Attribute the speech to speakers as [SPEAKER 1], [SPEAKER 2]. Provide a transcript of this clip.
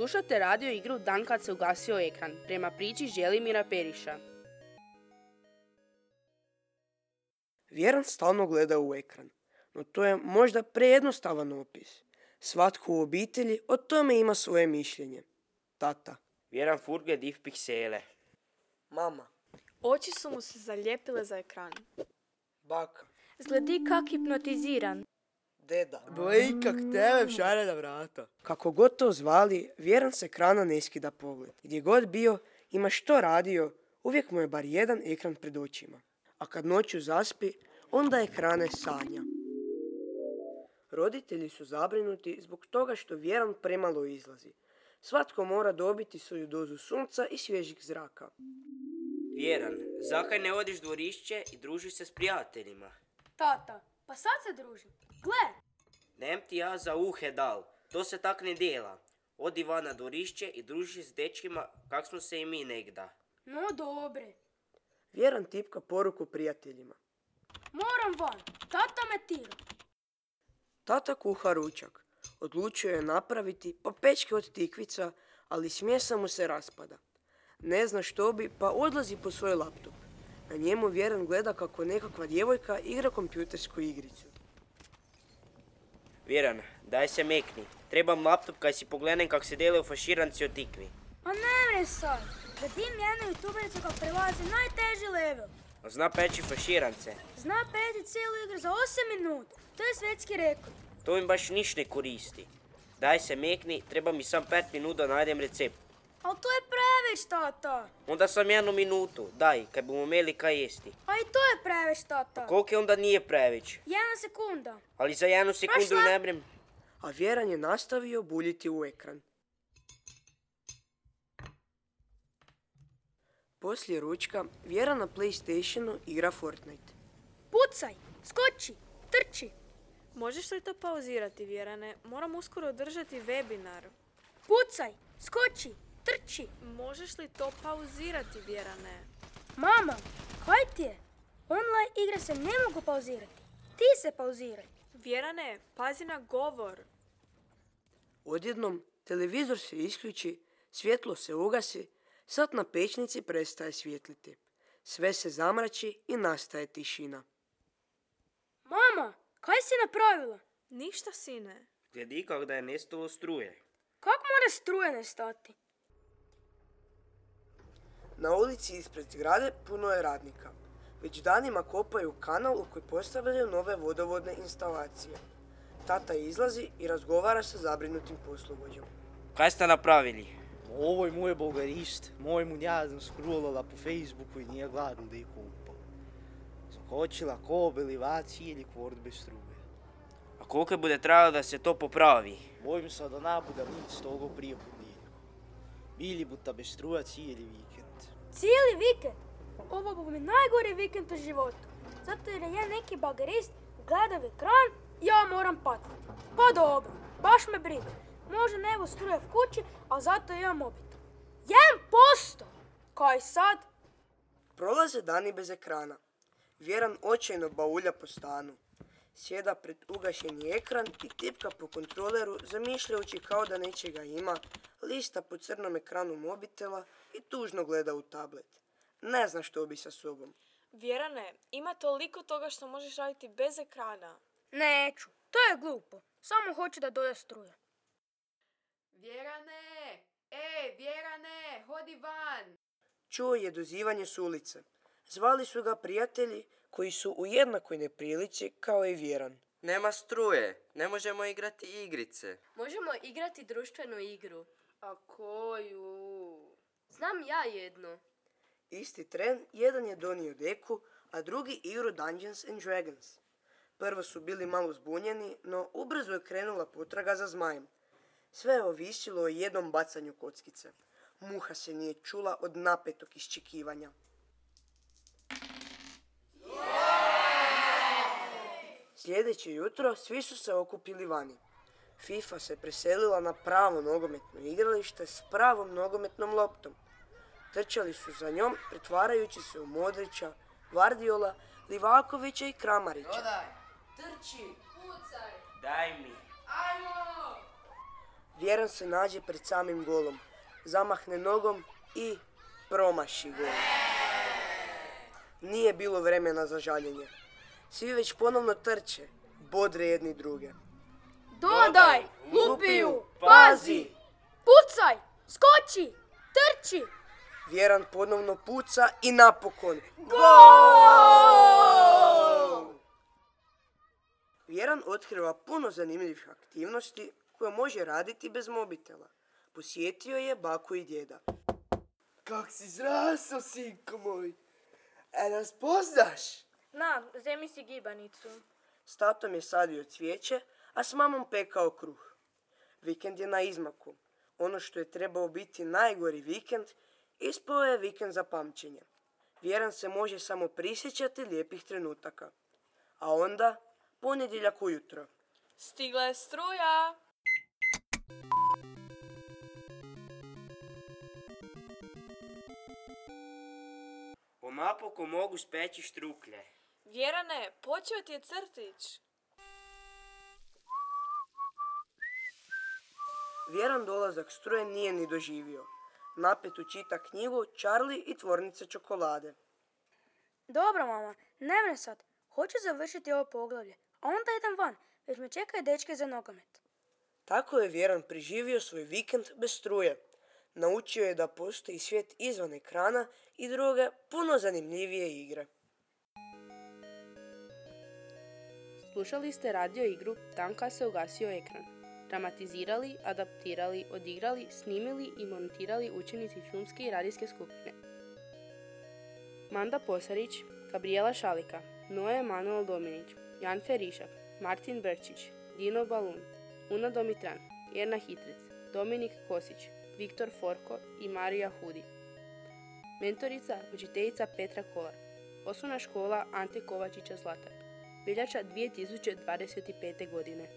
[SPEAKER 1] Slušate radio igru Dan kad se ugasio ekran, prema priči Želimira Periša.
[SPEAKER 2] Vjeran stalno gleda u ekran, no to je možda prejednostavan opis. Svatko u obitelji o tome ima svoje mišljenje. Tata.
[SPEAKER 3] Vjeran furge div piksele.
[SPEAKER 2] Mama.
[SPEAKER 4] Oči su mu se zalijepile za ekran.
[SPEAKER 2] Baka.
[SPEAKER 5] Zgledi kak hipnotiziran.
[SPEAKER 2] Deda.
[SPEAKER 6] Boj, kak tebe šare na vrata.
[SPEAKER 2] Kako god to zvali, Vjeran se ekrana ne skida pogled. Gdje god bio, ima što radio, uvijek mu je bar jedan ekran pred očima. A kad noću zaspi, onda ekrane sanja. Roditelji su zabrinuti zbog toga što Vjeran premalo izlazi. Svatko mora dobiti svoju dozu sunca i svježih zraka.
[SPEAKER 3] Vjeran, zakaj ne odiš dvorišće i družiš se s prijateljima?
[SPEAKER 5] Tata, pa sad se družim. Gle!
[SPEAKER 3] Nem ti ja za uhe dal, to se tak ne dela. Odi van na dvorišće i druži s dečkima kak smo se i mi negda.
[SPEAKER 5] No dobre.
[SPEAKER 2] Vjeran tipka poruku prijateljima.
[SPEAKER 5] Moram van, tata me tira.
[SPEAKER 2] Tata kuha ručak. Odlučio je napraviti papečke od tikvica, ali smjesa mu se raspada. Ne zna što bi, pa odlazi po svoj laptop. Na njemu Vjeran gleda kako nekakva djevojka igra kompjutersku igricu.
[SPEAKER 3] Vjeran, daj se mekni. Trebam laptop kaj si pogledam kak se delaju faširanci od tikvi.
[SPEAKER 5] A ne mre sad, gledim jednu youtubericu kako prelazi najteži level.
[SPEAKER 3] A zna peći faširance.
[SPEAKER 5] Zna peti cijelu igru za 8 minuta. To je svjetski rekord.
[SPEAKER 3] To im baš niš ne koristi. Daj se mekni, treba mi sam 5 minuta da najdem recept.
[SPEAKER 5] Ali to je preveć, tata.
[SPEAKER 3] Onda sam 1 minutu, daj, kaj bomo imeli kaj jesti.
[SPEAKER 5] A i to je preveć, tata.
[SPEAKER 3] Koliko je onda nije preveć?
[SPEAKER 5] 1 sekunda.
[SPEAKER 3] Ali za 1 sekundu ne brem.
[SPEAKER 2] A Vjeran je nastavio buljiti u ekran. Poslije ručka, Vjeran na PlayStationu igra Fortnite.
[SPEAKER 5] Pucaj, skoči, trči.
[SPEAKER 4] Možeš li to pauzirati, Vjerane? Moram uskoro održati webinar.
[SPEAKER 5] Pucaj, skoči, trči.
[SPEAKER 4] Možeš li to pauzirati, Vjerane?
[SPEAKER 5] Mama, kaj ti je? Online igre se ne mogu pauzirati. Ti se pauziraj.
[SPEAKER 4] Vjerane, pazi na govor.
[SPEAKER 2] Odjednom, televizor se isključi, svjetlo se ugasi, sat na pećnici prestaje svjetliti. Sve se zamrači i nastaje tišina.
[SPEAKER 5] Mama, kaj si napravila?
[SPEAKER 4] Ništa, sine.
[SPEAKER 3] Gledi kak da je nestalo struje.
[SPEAKER 5] Kako mora struje nestati?
[SPEAKER 2] Na ulici ispred zgrade puno je radnika. Već danima kopaju kanal u koji postavljaju nove vodovodne instalacije. Tata izlazi i razgovara sa zabrinutim poslovođom.
[SPEAKER 3] Kaj ste napravili?
[SPEAKER 6] Ovoj mu je bolgarist, moj mu njazno scrollala po Facebooku i nije gladno da ih kupa. Zakočila kobel i vaci ili kvort bez struje.
[SPEAKER 3] A koliko bude trajalo da se to popravi?
[SPEAKER 6] Bojim se da nabuda nic togo prije ponedjeljka. Bili buta bez struja cijeli vikend.
[SPEAKER 5] Cijeli vikend? Ovo bu mi najgori vikend u životu. Zato jer je neki bagerist gleda u ekran, ja moram patiti. Pa dobro, baš me briga. Možda ne evo struje v kući, a zato imam mobitel. 1%! Kaj sad?
[SPEAKER 2] Prolaze dani bez ekrana. Vjeran očajno baulja po stanu. Sjeda pred ugašeni ekran i tipka po kontroleru, zamišljajući kao da nečega ima, lista po crnom ekranu mobitela i tužno gleda u tablet. Ne zna što bi sa sobom.
[SPEAKER 4] Vjerane, ima toliko toga što možeš raditi bez ekrana.
[SPEAKER 5] Neću, to je glupo. Samo hoću da doda struja.
[SPEAKER 7] Vjerane! Vjerane, hodi van!
[SPEAKER 2] Čuo je dozivanje s ulice. Zvali su ga prijatelji koji su u jednakoj neprilici kao i Vjeran.
[SPEAKER 8] Nema struje, ne možemo igrati igrice.
[SPEAKER 9] Možemo igrati društvenu igru.
[SPEAKER 7] A koju?
[SPEAKER 9] Znam ja jednu.
[SPEAKER 2] Isti tren, jedan je donio deku, a drugi igru Dungeons and Dragons. Prvo su bili malo zbunjeni, no ubrzo je krenula potraga za zmajem. Sve je ovisilo o jednom bacanju kockice. Muha se nije čula od napetog iščekivanja. Sljedeće jutro svi su se okupili vani. FIFA se preselila na pravo nogometno igralište s pravom nogometnom loptom. Trčali su za njom, pretvarajući se u Modrića, Gvardiola, Livakovića i Kramarića.
[SPEAKER 7] Trči! Pucaj!
[SPEAKER 3] Daj mi.
[SPEAKER 7] Ajmo!
[SPEAKER 2] Vjeran se nađe pred samim golom, zamahne nogom i promaši gol. Nije bilo vremena za žaljenje. Svi već ponovno trče, bodre jedni druge.
[SPEAKER 5] Dodaj, lupiju,
[SPEAKER 2] pazi!
[SPEAKER 5] pucaj, skoči, trči.
[SPEAKER 2] Vjeran ponovno puca i napokon gol! Vjeran otkriva puno zanimljivih aktivnosti koje može raditi bez mobitela. Posjetio je baku i djeda. Kak si zrasao, sinko moj? Nas poznaš?
[SPEAKER 4] Na, zemi si gibanicu.
[SPEAKER 2] S tatom je sadio cvijeće, a s mamom pekao kruh. Vikend je na izmaku. Ono što je trebao biti najgori vikend, ispao je vikend za pamćenje. Vjeran se može samo prisjećati lijepih trenutaka. A onda, ponedjeljak ujutro.
[SPEAKER 4] Stigla je struja.
[SPEAKER 3] Napokon mogu speći štruklje.
[SPEAKER 4] Vjerane, počeo ti je crtić.
[SPEAKER 2] Vjeran dolazak struje nije ni doživio. Napetu čita knjigu Charlie i tvornice čokolade.
[SPEAKER 5] Dobro, mama, ne vem sad. Hoću završiti ovo poglavlje, a onda idem van, već me čekaju dečke za nogomet.
[SPEAKER 2] Tako je Vjeran preživio svoj vikend bez struje. Naučio je da postoji svijet izvan ekrana i druge, puno zanimljivije igre.
[SPEAKER 1] Slušali ste radio igru Tanka se ugasio ekran. Dramatizirali, adaptirali, odigrali, snimili i montirali učenici filmske i radijske skupine. Manda Posarić, Gabriela Šalika, Noe Emanuel Dominić, Jan Ferišak, Martin Brčić, Dino Balun, Una Domitran, Erna Hitric, Dominik Kosić, Viktor Forko i Marija Hudi. Mentorica, učiteljica Petra Kolar. Osnovna škola Ante Kovačića Zlatar. Veljača 2025. godine.